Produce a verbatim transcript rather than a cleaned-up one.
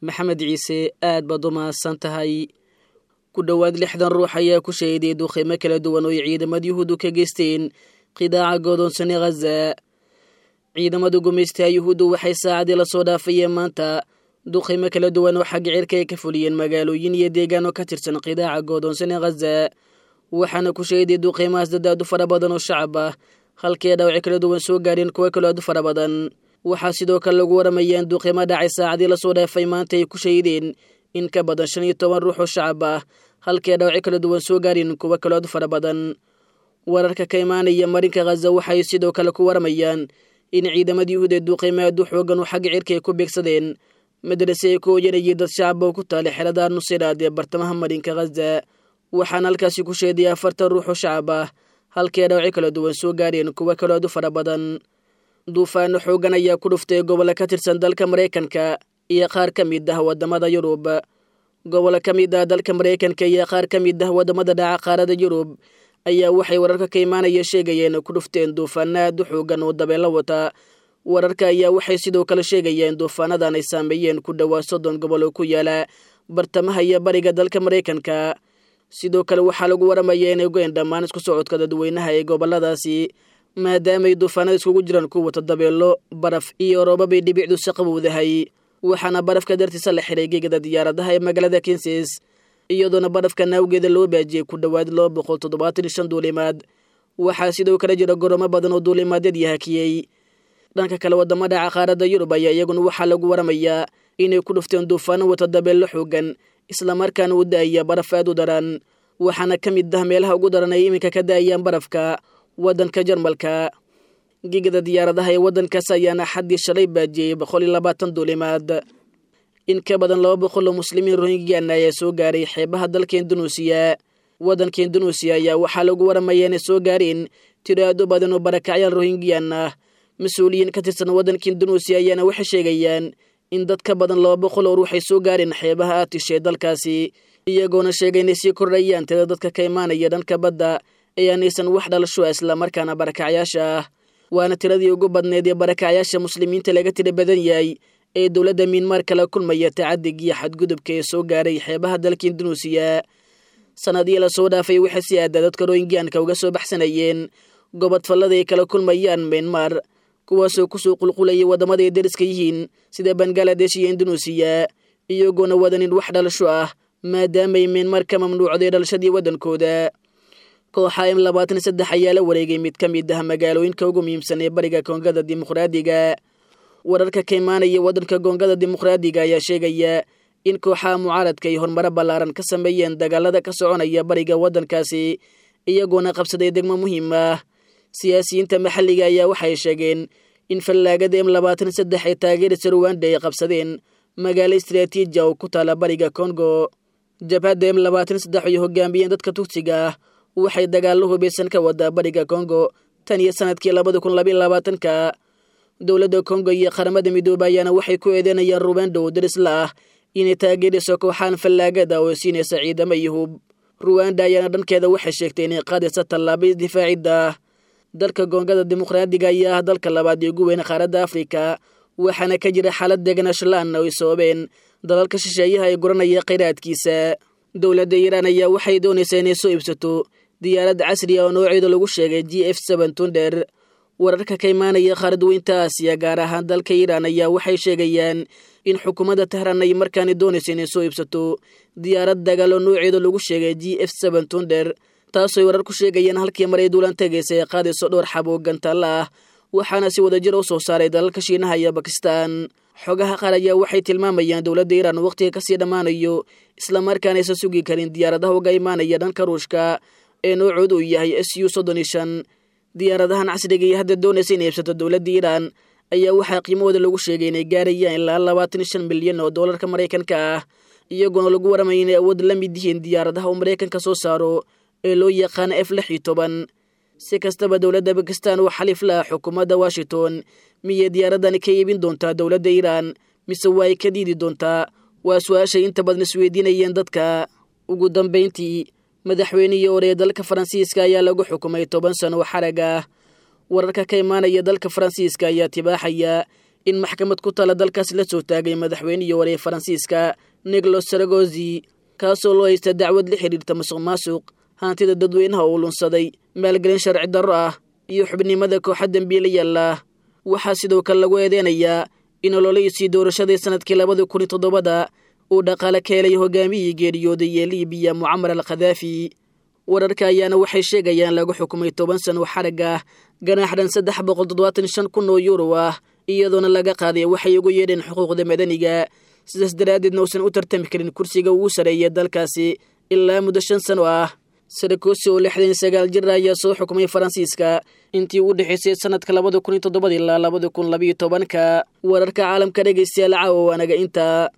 Maxamed Ciise, aad baad u mahadsan tahay. Ku dhowaad lixdan ruux ayaa ku shahiday duqeymo kala duwan oo ay ciidamada Yuhuuddu ka geysteen qidaaca godoonsan ee Khaza. Ciidamada gumaystaha Yuhuuddu waxay saacadii lasoo dhaafayeen maanta duqeymo kala duwan oo xagga cirka ay ka fuliyeen magaalooyin iyo deegaano ka tirsan qidaaca godoonsan ee Khaza, waxaana ku shahiday duqeymahaas dad aad u fara badan oo shacab ah, halkii ay dhaawacyo kala duwan soo gaadheen kuwo kaloo aad u fara badan. Waxaa sidoo kale lagu waramayaa in duqeymo dhacay saacadii lasoo dhaafay maanta ay ku shahideen in ka badan shan iyo toban ruux oo shacab ah, halkii ay dhaawacyo kala duwan soo gaareen kuwo kaloo aad u fara badan. Wararka ka imaanaya marinka Khaza waxay sidoo kale ku waramayaan in ciidamada Yuhuud ee duqeymo aad u xoogan oo xagga cirka ay ku beegsadeen madrase ay ku hoyanayay dad shacab oo ku taala xerada Nusiraad ee bartamaha marinka Khaza, waxaana halkaasi ku sheeday afartan ruux oo shacab ah, halkii ay dhaawacyo kala duwan soo gaareen kuwo kaloo aad u fara badan. Duufaano xoogan ayaa ku dhuftay gobollo ka tirsan dalka Maraykanka iyo qaar ka mid ah waddamada Yurub. Gobollo ka mid ah dalka Maraykanka iyo qaar ka mid ah waddamada dhaca qaarada Yurub ayaa waxay wararka ka imaanaya sheegayeen ku dhufteen duufaano aad u xoogan oo dabeelo wata. Wararka ayaa waxay sidoo kale sheegayeen duufaanadan ay saameeyeen ku dhowaa soddon gobol oo ku yaala bartamaha iyo bariga dalka Maraykanka. Sidoo kale waxaa lagu waramayaa inay goyn dhammaan isku socodka dadweynaha ee gobolladaasi, maadaamaay duufaanada iskugu jiraan ku wata dabeelo, baraf iyo roobabay dhibicdu si qabowdahay. Waxaana barafka dartiisa la xiray gegada diyaaradaha ee magaalada Kansas, iyadoona barafka naawgeeda loo baajiyey ku dhowaad laba boqol toddobaatan iyo shan duulimaad. Waxaa sidoo kale jira goroomo badan oo duulimaadyadii hakiyey. Dhanka kale, waddamada qaaradda Yurub ayaa iyaguna waxaa lagu waramayaa inay ku dhufteen duufaano wata dabeello xoogan, islamarkaana u da'aya baraf aad u daran. Waxaana ka mid ah meelaha ugu daran ay iminka ka da'ayaan barafka waddanka Jarmalka. Gigada diyaaradaha ee waddankaas ayaana xaddii shalay baajiyey boqol iyo labaatan duulimaad. In ka badan laba boqol oo muslimiin Rohingyan ayaa soo gaaray xeebaha dalka Indunuusiya. Waddanka Indunuusiya ayaa waxaa lagu waramayaa inay soo gaareen tiro aad u badan oo barakacyaal Rohingyan ah. Mas-uuliyiin ka tirsan waddanka Indunuusiya ayaana waxay sheegayaan in dad ka badan laba boqol oo ruux ay soo gaareen xeebaha Aatish ee dalkaasi, iyagoona sheegay inay sii kordhayaan tirada dadka ka imaanaya dhanka badda ee aanaysan wax dhalasho ah islamarkaana barakacyaasha ah. Waana tiradii ugu badneed ee barakacyaasha muslimiinta laga tira badan yahay ee dowladda Miinmaar kala kulmaya tacadig iyo xadgudubka ee soo gaaray xeebaha dalka Indunuusiya. Sanadihii lasoo dhaafay waxay si aada dadka Rohingyanka uga soo baxsanayeen gobodfallada ay kala kulmayaan Miinmaar, kuwaasoo kusoo qulqulayay waddamada ay deriska yihiin sida Bangaladesh iyo Indunuusiya, iyagoona wadanin wax dhalasho ah maadaamay Miinmaar ka mamnuucday dhalashadii waddankooda. Kooxa M labaatan saddex ayaa la wareegay mid ka mid ah magaalooyinka ugu muhiimsan ee bariga Koongada Dimuqraadiga. Wararka ka imaanaya waddanka Koongada Dimuqraadiga ayaa sheegaya in kooxaha mucaaradka ay horumaro ballaaran ka sameeyeen dagaalada ka soconaya bariga waddankaasi, iyagoona qabsaday degmo muhiim ah. Siyaasiyiinta maxalliga ayaa waxay sheegeen in fallaagada M labaatan saddex ee taageerisa Ruwanda ay qabsadeen magaalo istaraatiiji oo ku taala bariga Kongo. Jabhadda M labaatan saddex ay hogaamiyeen dadka Tugsiga ah waxay dagaallo hubaysan ka wadaa bariga Kongo tan iyo sanadkii labada kun labaiyo labaatanka. Dowladda Kongo iyo Qaramada Midoobay ayaana waxay ku eedeynayaan Ruwanda oo daris la ah inay taageerayso kooxahan fallaagada oo siinaysa ciidamo iyo hub. Ruwanda ayaana dhankeeda waxay sheegtay inay qaadaysa tallaabo isdifaacidda ah. Dalka Koongada Dimuqraadiga ayaa ah dalka labaad ee ugu weyn qaaradda Afrika, waxaana ka jira xaalad deganaansho la'aan oo ay sababeen dalalka shisheeyaha ee guranaya kheyraadkiisa. Dowladda Iiraan ayaa waxay doonaysaa inay soo iibsato diyaarad casri ah oo nooceeda lagu sheegay G F seven Thunder. Wararka ka imaanaya qaaradweynta Aasiya, gaar ahaan dalka Iiraan, ayaa waxay sheegayaan in xukuumadda Tehran ay markaani doonayso inay soo iibsato diyaarad dagaal oo nooceeda lagu sheegay G F seven Thunder, taasooy warar ku sheegayaan halkii mar ay duulaan tagaysa ay qaadayso dhowr xabo gantaalla ah, waxaana si wadajir u soo saaray dalalka Shiinaha iyo Bakistan. Xogaha qaar ayaa waxay tilmaamayaan dowladda Iiraan wakhtiga kasii dhammaanayo, islamarkaana aysan sugi karin diyaaradaha uga imaanaya dhanka Ruushka ee noocoodu uu yahay S U soddon iyo shan. Diyaaradahan casriga iyo hadda doonaysa inay iibsato dowladda Iiraan ayaa waxaa qiimahooda lagu sheegay inay gaarayaan ilaa labaatan iyo shan milyan oo doolarka Maraykanka ah, iyagoona lagu waramaya inay awood la mid yihiin diyaaradaha uu Maraykanka soo saaro ee loo yaqaano F lix iyo toban. Si kastaba, dowladda Bakistan oo xaliif la ah xukuumadda Washington miyay diyaaradani ka iibin doontaa dowladda Iiraan mise waa ay ka diidi doontaa? Waa su-aashay inta badan isweydiinayeen dadka. Ugu dambayntii, madaxweynihii hore ee dalka Faransiiska ayaa lagu xukumay toban sano oo xarag ah. Wararka ka imaanaya dalka Faransiiska ayaa tibaaxaya in maxkamad ku tala dalkaas la soo taagay madaxweynihii hore ee Faransiiska Nicolas Sarkozy, kaasoo loo haysta dacwad la xidhiirta musuq maasuq, hantida dadweynaha uu lunsaday, maalgelin sharci darro ah iyo xubnimada kooxa dembiilayaal ah. Waxaa sidoo kale lagu eedeynayaa in ololihiisii doorashadii sanadkii labada kun iyo toddobada uu dhaqaale ka helay hogaamiyihii geeriyooday ee Liibiya Mucamar al Khadaafi. Wararka ayaana waxay sheegayaan lagu xukumay toban sano xarag ah, ganaax dhan saddex boqol toddobaatan shan kun oo yuuro ah, iyadoona laga qaaday waxay ugu yeedheen xuquuqda madaniga, sidaas daraaddeedna uusan u tartami karin kursiga ugu sareeya dalkaasi ilaa muddo shan sano ah. Sarkozy oo lixdan iyo sagaal jir ayaa soo xukumay Faransiiska intii u dhexaysay sanadka labada kun iyo toddobada ilaa labada kun labiyo tobanka. Wararka caalamka dhegeystayaal caawa waanaga intaa.